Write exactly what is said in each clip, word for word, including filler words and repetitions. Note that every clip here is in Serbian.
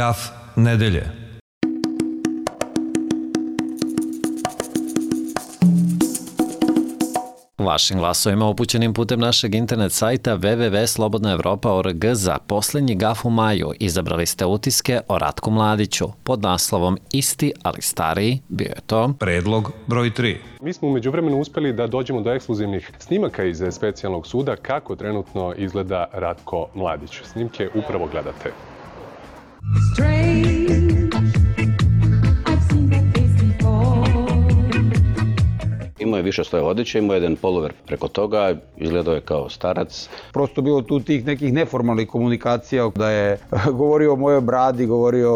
Gaf nedelje. Vašim glasovima upućenim putem našeg internet sajta w w w tačka slobodna evropa tačka org za posljednji gaf u maju izabrali ste utiske o Ratku Mladiću pod naslovom Isti, ali stariji. Bio je to predlog broj tri. Mi smo u međuvremenu uspeli da dođemo do ekskluzivnih snimaka iz specijalnog suda kako trenutno izgleda Ratko Mladić. Snimke upravo gledate. Imao je više svoje odjeće, imao je jedan polover preko toga, izgledao je kao starac. Prosto bilo tu tih nekih neformalnih komunikacija, da je govorio o mojoj bradi, govorio...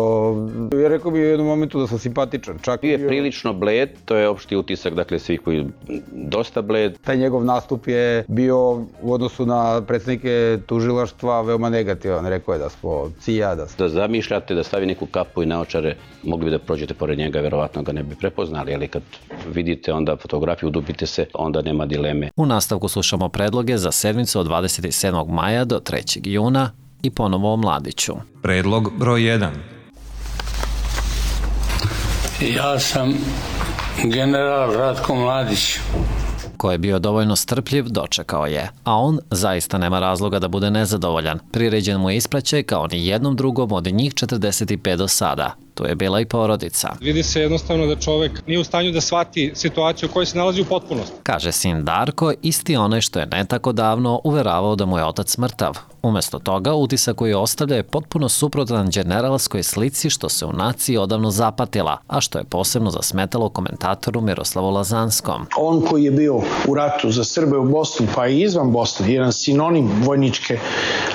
Ja rekao bi u jednom momentu da sam simpatičan. Čak Bio je prilično bled, to je opšti utisak, dakle svih koji dosta bled. Taj njegov nastup je bio u odnosu na predsednike tužilaštva veoma negativan. Rekao je da smo cija, da smo... Da zamišljate, da stavi neku kapu i naočare, mogli bi da prođete pored njega, verovatno ga ne bi prepoznali, ali kad vidite onda fotografiju, udubite se, onda nema dileme. U nastavku slušamo predloge za sedmicu od dvadeset sedmog maja do trećeg juna i ponovo o Mladiću. Predlog broj jedan. Ja sam general Ratko Mladić. Ko je bio dovoljno strpljiv, dočekao je, a on zaista nema razloga da bude nezadovoljan. Priređen mu je ispraćaj kao ni jednom drugom od njih četrdeset pet do sada. Tu je bila i porodica. Vidi se jednostavno da čovek nije u stanju da shvati situaciju u kojoj se nalazi u potpunosti. Kaže sin Darko, isti onaj što je ne tako davno uveravao da mu je otac mrtav. Umesto toga, utisak koji ostavlja je potpuno suprotan generalskoj slici što se u naciji odavno zapatila, a što je posebno zasmetalo komentatoru Miroslavu Lazanskom. On koji je bio u ratu za Srbe u Bosni, pa i izvan Bosne, jedan sinonim vojničke,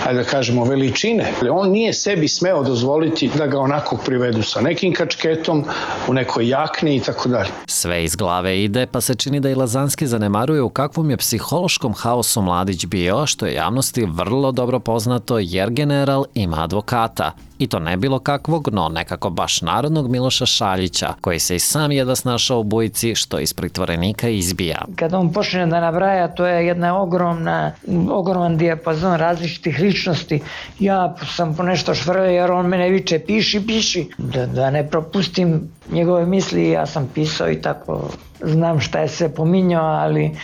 ajde da kažemo, veličine. On nije sebi smeo dozvoliti da ga onako privedu sa nekim kačketom, u nekoj jakni i tako dalje. Sve iz glave ide, pa se čini da i Lazanski zanemaruje u kakvom je psihološkom haosu Mladić bio, što je javnosti vrlo dobro poznato jer general ima advokata. I to ne bilo kakvog, no nekako baš narodnog Miloša Šaljića, koji se i sam jedva snašao u bujici što iz pritvorenika izbija. Kad on počne da nabraja, to je jedna ogromna, ogroman dijapazon različitih ličnosti. Ja sam po nešto švrljao jer on mene viče piši, piši. Da, da ne propustim njegove misli, ja sam pisao i tako znam šta je sve pominjao, ali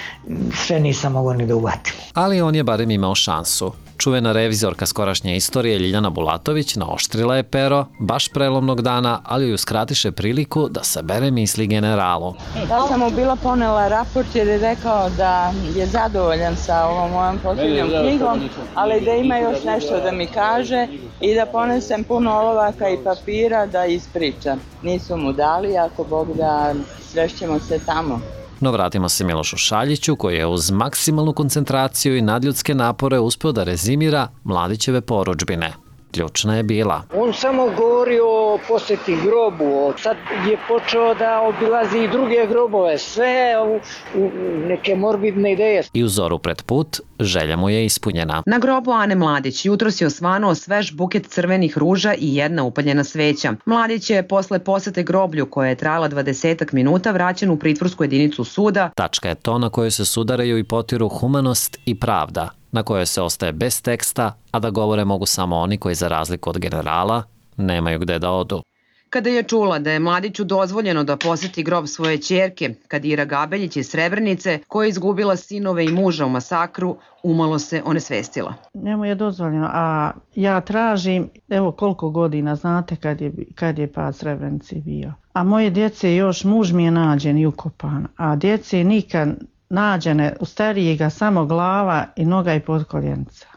sve nisam mogao ni da uvatim. Ali on je barem imao šansu. Čuvena revizorka skorašnje istorije Ljiljana Bulatović naoštrila je pero baš prelomnog dana, ali joj uskratiše priliku da sabere misli generalu. Ja sam mu bila ponela raport jer je rekao da je zadovoljan sa ovom mojom posljednjom knjigom, ali da ima još nešto da mi kaže i da ponesem puno olovaka i papira da ispričam. Nisu mu dali, ako Bog da, srešćemo se tamo. No vratimo se Milošu Šaljiću koji je uz maksimalnu koncentraciju i nadljudske napore uspeo da rezimira Mladićeve porudžbine. Ključna je bila. On samo govori o posjeti grobu, sad je počeo da obilazi i druge grobove, sve u, u neke morbidne ideje. I u zoru pred put, želja mu je ispunjena. Na grobu Ane Mladić jutros je osvanuo svež buket crvenih ruža i jedna upaljena sveća. Mladić je posle posete groblju koja je trajala dvadesetak minuta vraćen u pritvorsku jedinicu suda. Tačka je to na kojoj se sudaraju i potiru humanost i pravda, na kojoj se ostaje bez teksta, a da govore mogu samo oni koji za razliku od generala nemaju gde da odu. Kada je čula da je Mladiću dozvoljeno da poseti grob svoje ćerke, Kadira Gabeljić iz Srebrenice, koja je izgubila sinove i muža u masakru, umalo se onesvestila. Njemu je dozvoljeno, a ja tražim, evo koliko godina, znate kad je, kad je pad Srebrenici bio. A moje djece još, muž mi je nađen i ukopan, a djece nikad nađene, u starijega samo glava i noga i potkoljenica,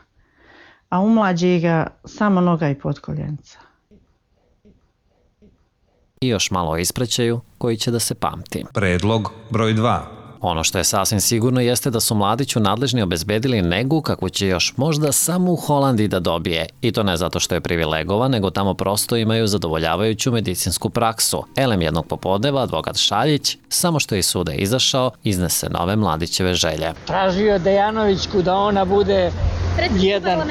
a u mlađega samo noga i potkoljenica. I još malo o ispraćaju koji će da se pamti. Predlog broj dva. Ono što je sasvim sigurno jeste da su Mladiću nadležni obezbedili negu kakvu će još možda samo u Holandiji da dobije. I to ne zato što je privilegovan, nego tamo prosto imaju zadovoljavajuću medicinsku praksu. Elem jednog popodneva, advokat Šaljić, samo što je iz suda izašao, iznese nove Mladićeve želje. Tražio Dejanovićku da ona bude Jedan,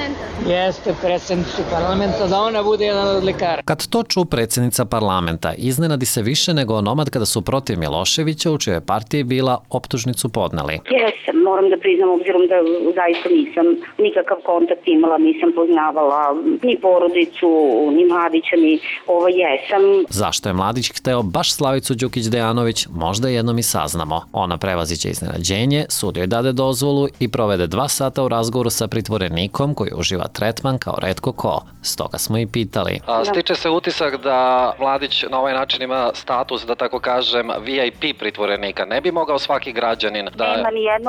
jeste predsjednicu parlamenta, da ona bude jedan od lekara. Kad to ču predsjednica parlamenta, iznenadi se više nego onomad kada su protiv Miloševića, u čijoj partiji bila, optužnicu podneli. Jesam, moram da priznam, obzirom da zaista nisam nikakav kontakt imala, nisam poznavala ni porodicu, ni Mladića, ni ovo jesam. Zašto je Mladić hteo baš Slavicu Đukić-Dejanović, možda jednom i saznamo. Ona prevaziće iznenađenje, sud joj dade dozvolu i provede dva sata u razgovoru sa pritvorenikom koji uživa tretman kao retko ko. Stoga smo i pitali. A, stiče se utisak da Mladić na ovaj način ima status, da tako kažem, V I P pritvorenika. Ne bi mogao svaki građanin da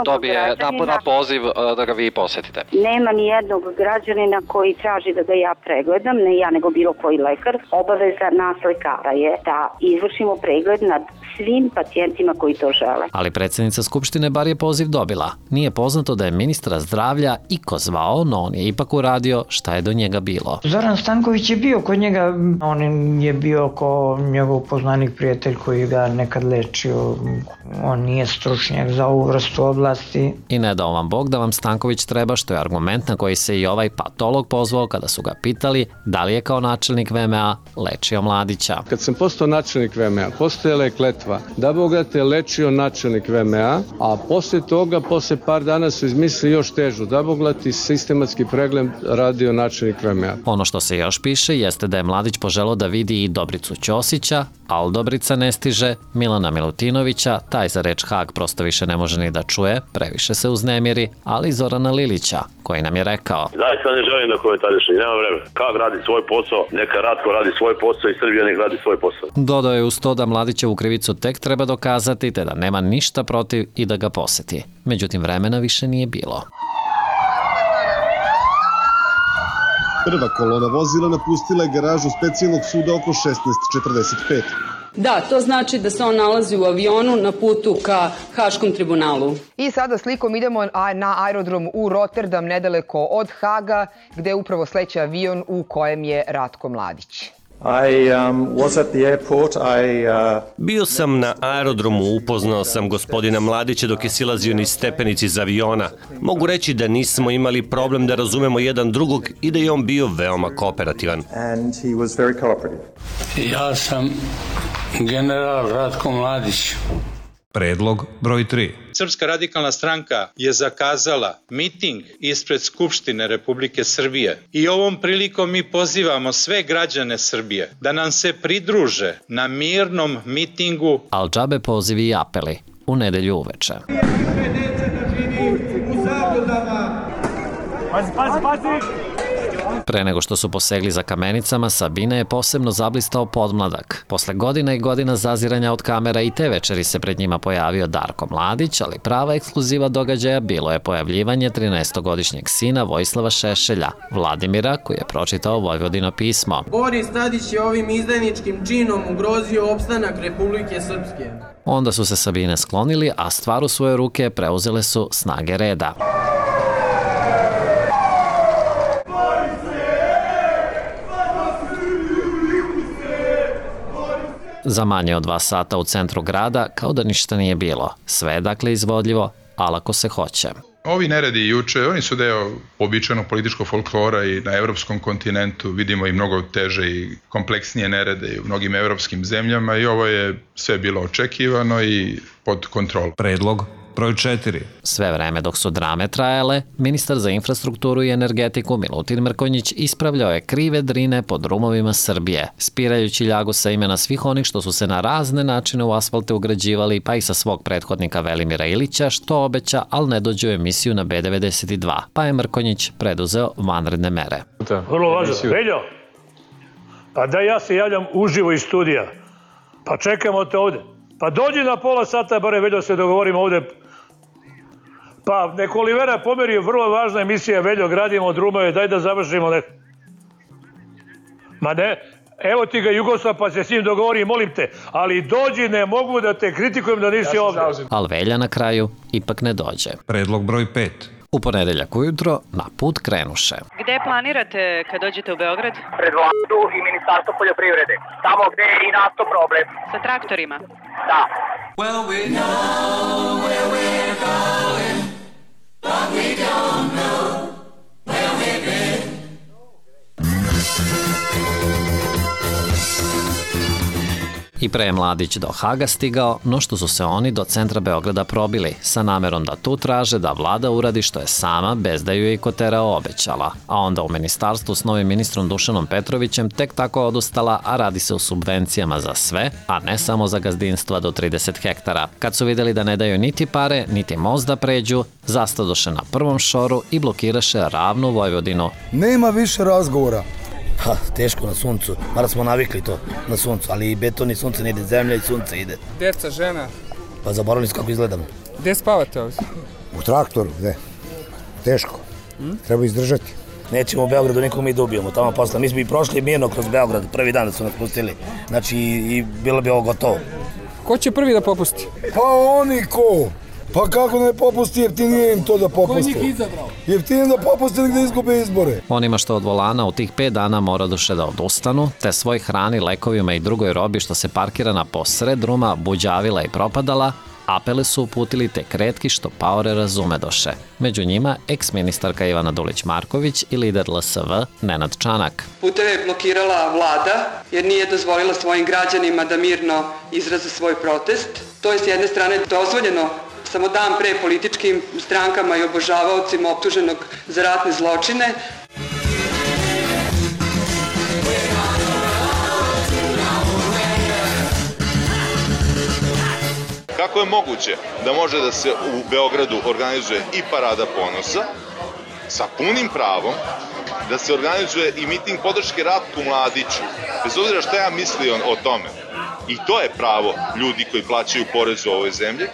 dobije na, na poziv da ga vi posetite? Nema ni jednog građanina koji traži da ga ja pregledam, ne ja nego bilo koji lekar. Obaveza nas lekara je da izvršimo pregled nad svim pacijentima koji to žele. Ali predsjednica Skupštine bar je poziv dobila. Nije poznato da je ministra zdravlja iko zvao, no on je ipak uradio šta je do njega bilo. Zoran Stanković je bio kod njega, on je bio ko njegov poznanik, prijatelj koji ga nekad lečio. On nije stručnjak za ovu vrstu oblasti. I ne dao vam Bog da vam Stanković treba, što je argument na koji se i ovaj patolog pozvao kada su ga pitali da li je kao načelnik V M A lečio Mladića. Kad sam postao načelnik V M A, postojala je kletva da Boga te lečio načelnik V M A, a posle toga, posle par dana su izmislili još težu, da Boga ti sistematski pregled radio načelnik V M A. Ono što se još piše jeste da je Mladić poželao da vidi i Dobricu Ćosića, ali Dobrica ne stiže, Milana Milutinovića, taj za reč Hag prosto više ne može ni da čuje, previše se uznemiri, ali i Zorana Lilića, koji nam je rekao: Zaista ne želim da komentarišem, nema vremena. Hag radi svoj posao, neka Ratko radi svoj posao i Srbija nek radi svoj posao. Dodao je uz to da Mladićevu krivicu tek treba dokazati, te da nema ništa protiv i da ga poseti. Međutim, vremena više nije bilo. Prva kolona vozila napustila je garažu specijalnog suda oko šesnaest četrdeset pet. Da, to znači da se on nalazi u avionu na putu ka Haškom tribunalu. I sada slikom idemo na aerodrom u Rotterdam, nedaleko od Haga, gde upravo sleće avion u kojem je Ratko Mladić. I, um, was at the airport. I, uh... Bio sam na aerodromu, upoznao sam gospodina Mladića dok je silazio niz stepenici iz aviona. Mogu reći da nismo imali problem da razumemo jedan drugog i da je on bio veoma kooperativan. And he was very cooperative. Ja sam general Ratko Mladić. Predlog broj tri. Srpska radikalna stranka je zakazala miting ispred Skupštine Republike Srbije i ovom prilikom mi pozivamo sve građane Srbije da nam se pridruže na mirnom mitingu. Al džabe pozivi i apeli u nedelju uveče. Pazi, pazi, pazi! Pre nego što su posegli za kamenicama, Sabine je posebno zablistao podmladak. Posle godina i godina zaziranja od kamera i te večeri se pred njima pojavio Darko Mladić, ali prava ekskluziva događaja bilo je pojavljivanje trinaestogodišnjeg sina Vojislava Šešelja, Vladimira, koji je pročitao Vojvodino pismo. Boris Tadić je ovim izdajničkim činom ugrozio opstanak Republike Srpske. Onda su se Sabine sklonili, a stvar u svoje ruke preuzele su snage reda. Za manje od dva sata u centru grada, kao da ništa nije bilo. Sve je dakle izvodljivo, ali ako se hoće. Ovi neredi juče, oni su deo običajnog političkog folklora i na evropskom kontinentu vidimo i mnogo teže i kompleksnije nerede i u mnogim evropskim zemljama i ovo je sve bilo očekivano i pod kontrolom. Predlog broj četiri. Sve vreme dok su drame trajale, ministar za infrastrukturu i energetiku Milutin Mrkonjić ispravljao je krive drine po drumovima Srbije, spirajući ljagu sa imena svih onih što su se na razne načine u asfalte ugrađivali, pa i sa svog prethodnika Velimira Ilića, što obeća, ali ne dođe u emisiju na B devedeset dva, pa je Mrkonjić preduzeo vanredne mere. Vrlo važno. Veljo, pa da ja se javljam uživo iz studija, pa čekamo te ovde. Pa dođi na pola sata, bare Veljo, se dogovorimo ovde. Pa neko Olivera pomeri, vrlo važna emisija, Veljo, gradimo drumove, daj da završimo neko. Ma ne, evo ti ga Jugoslav, pa se s njim dogovori, molim te, ali dođi, ne mogu da te kritikujem da nisi ovde. Al Velja na kraju ipak ne dođe. Predlog broj pet. U ponedeljak ujutro na put krenuše. Gde planirate kad dođete u Beograd? Pred Vladu i Ministarstvo poljoprivrede. Tamo gde je i nasto problem. Sa traktorima? Da. Well, we know where we're going, but we don't know I pre je Mladić do Haga stigao, no što su se oni do centra Beograda probili, sa namerom da tu traže da vlada uradi što je sama, bez da ju je i Kotera obećala. A onda u ministarstvu s novim ministrom Dušanom Petrovićem tek tako odustala, a radi se o subvencijama za sve, a ne samo za gazdinstva do trideset hektara. Kad su videli da ne daju niti pare, niti most da pređu, zastadoše na prvom šoru i blokiraše ravnu Vojvodinu. Nema više razgovora. Ha, teško na suncu, mada smo navikli to na suncu, ali i beton i sunce ne ide, zemlja i sunce ide. Djeca, žena. Pa zaboravili su kako izgledam. Gdje spavate ovdje? U traktoru, gde? Teško. Hmm? Treba izdržati. Nećemo u Beogradu nikom mi da ubijemo, tamo posle. Mi smo i prošli mirno kroz Beograd, prvi dan da su nas pustili. Znači i bilo bi ovo gotovo. Ko će prvi da popusti? Pa oni ko? Pa kako ne popusti, jeftinije im to da popusti. Ko je njih izabrao? Jeftinije da popusti nek da izgube izbore. Onima što od volana u tih pet dana mora duše da odustanu, te svoj hrani, lekovima i drugoj robi što se parkirana posred ruma buđavila i propadala, apele su uputili tek retki što paore razume doše. Među njima eks-ministarka Ivana Dulić-Marković i lider L S V Nenad Čanak. Puteve je blokirala vlada jer nije dozvolila svojim građanima da mirno izraze svoj protest. To je s jedne strane dozvoljeno samo dan pre političkim strankama i obožavaocima optuženog za ratne zločine. Kako je moguće da može da se u Beogradu organizuje i parada ponosa sa punim pravom, da se organizuje i miting podrške Ratku Mladiću, bez obzira šta ja mislio o tome. I to je pravo ljudi koji plaćaju porez u ovoj zemlji.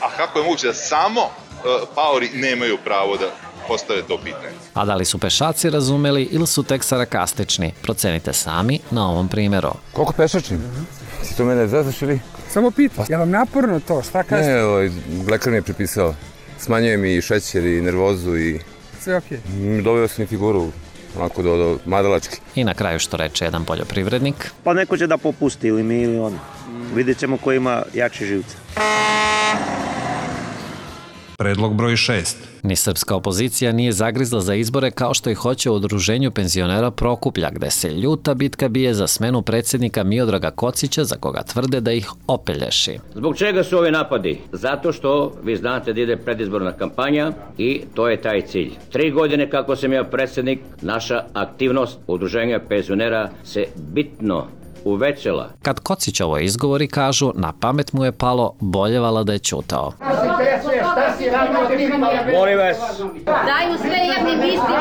A kako je moguće da samo uh, paori nemaju pravo da postave to pitanje? A da li su pešaci razumeli ili su tek sarkastični? Procenite sami na ovom primjeru. Koliko pešačni? Si to mene zezaš ili? Samo pitam, je vam naporno to? Šta kažete? Ne, ovaj, lekar mi je prepisao. Smanjuje mi i šećer i nervozu i... Sve okej. Okay. Dobio sam i figuru, onako do, do madalački. I na kraju što reče jedan poljoprivrednik. Pa neko će da popusti ili mi ili on. Vidjet ćemo ko ima jakši živce. Predlog broj šest. Ni srpska opozicija nije zagrizla za izbore kao što i hoće u udruženju penzionera Prokuplja, gde se ljuta bitka bije za smenu predsjednika Miodraga Kocića, za koga tvrde da ih opelješi. Zbog čega su ovi napadi? Zato što vi znate da ide predizborna kampanja i to je taj cilj. Tri godine kako sam ja predsjednik, naša aktivnost udruženja penzionera se bitno uvećala. Kad Kocić ovo izgovori, kažu, na pamet mu je palo, boljevala da je ćutao. Molim vas. Daju sve jedni isti,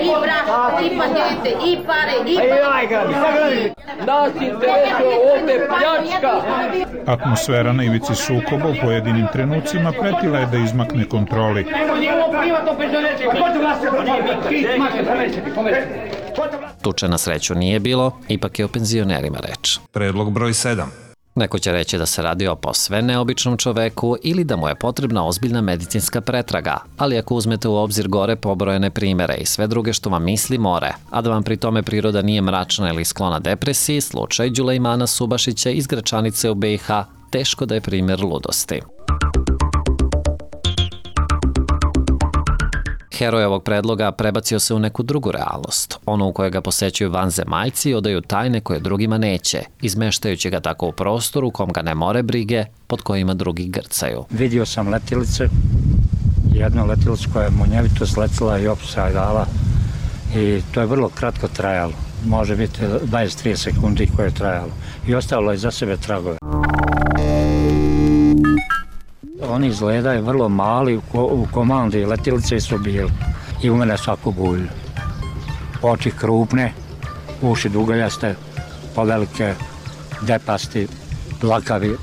i brak, i pacijente, i pare, i pare. Nas interesuje ovde pljačka. Atmosfera na ivici sukoba u pojedinim trenucima pretila je da izmakne kontroli. Tuče na sreću nije bilo, ipak je o penzionerima reč. Predlog broj sedam. Neko će reći da se radi o posve neobičnom čoveku ili da mu je potrebna ozbiljna medicinska pretraga, ali ako uzmete u obzir gore pobrojene primere i sve druge što vam misli more, a da vam pri tome priroda nije mračna ili sklona depresiji, slučaj Đulejmana Subašića iz Gračanice u B i H teško da je primjer ludosti. Heroj ovog predloga prebacio se u neku drugu realnost, onu u kojoj ga posećuju vanzemaljci i odaju tajne koje drugima neće, izmeštajući ga tako u prostoru u kom ga ne more brige, pod kojima drugi grcaju. Vidio sam letilice, jednu letilicu koja je munjevito sletila i opsa dala i to je vrlo kratko trajalo, može biti dvadeset do trideset sekundi koje je trajalo i ostavilo je za sebe tragove. Oni izgledaju vrlo mali, u komandi letilice su bili i u mene svaku bulju. Oči krupne, uši dugaljaste, povelike, depasti, dlakavi,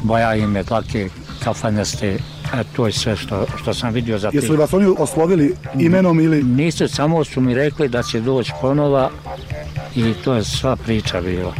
boja im je dlake, kafanjaste, e, to je sve što, što sam vidio za ti. Jesu li vas oni oslovili imenom ili? Nisu, samo su mi rekli da će doći ponova i to je sva priča bila.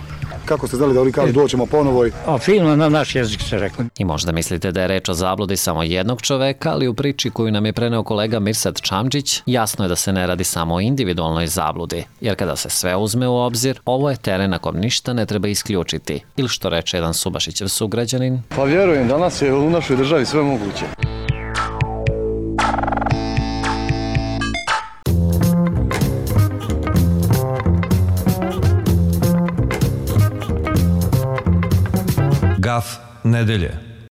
Kako ste znali da oni kažu doćemo ponovo? A filma na naš jezik se rekli. I možda mislite da je reč o zabludi samo jednog čoveka, ali u priči koju nam je preneo kolega Mirsad Čamđić, jasno je da se ne radi samo o individualnoj zabludi, jer kada se sve uzme u obzir, ovo je teren na kom ništa ne treba isključiti, ili što reče jedan Subašićev sugrađanin. Pa vjerujem, danas je u našoj državi sve moguće. nedelje.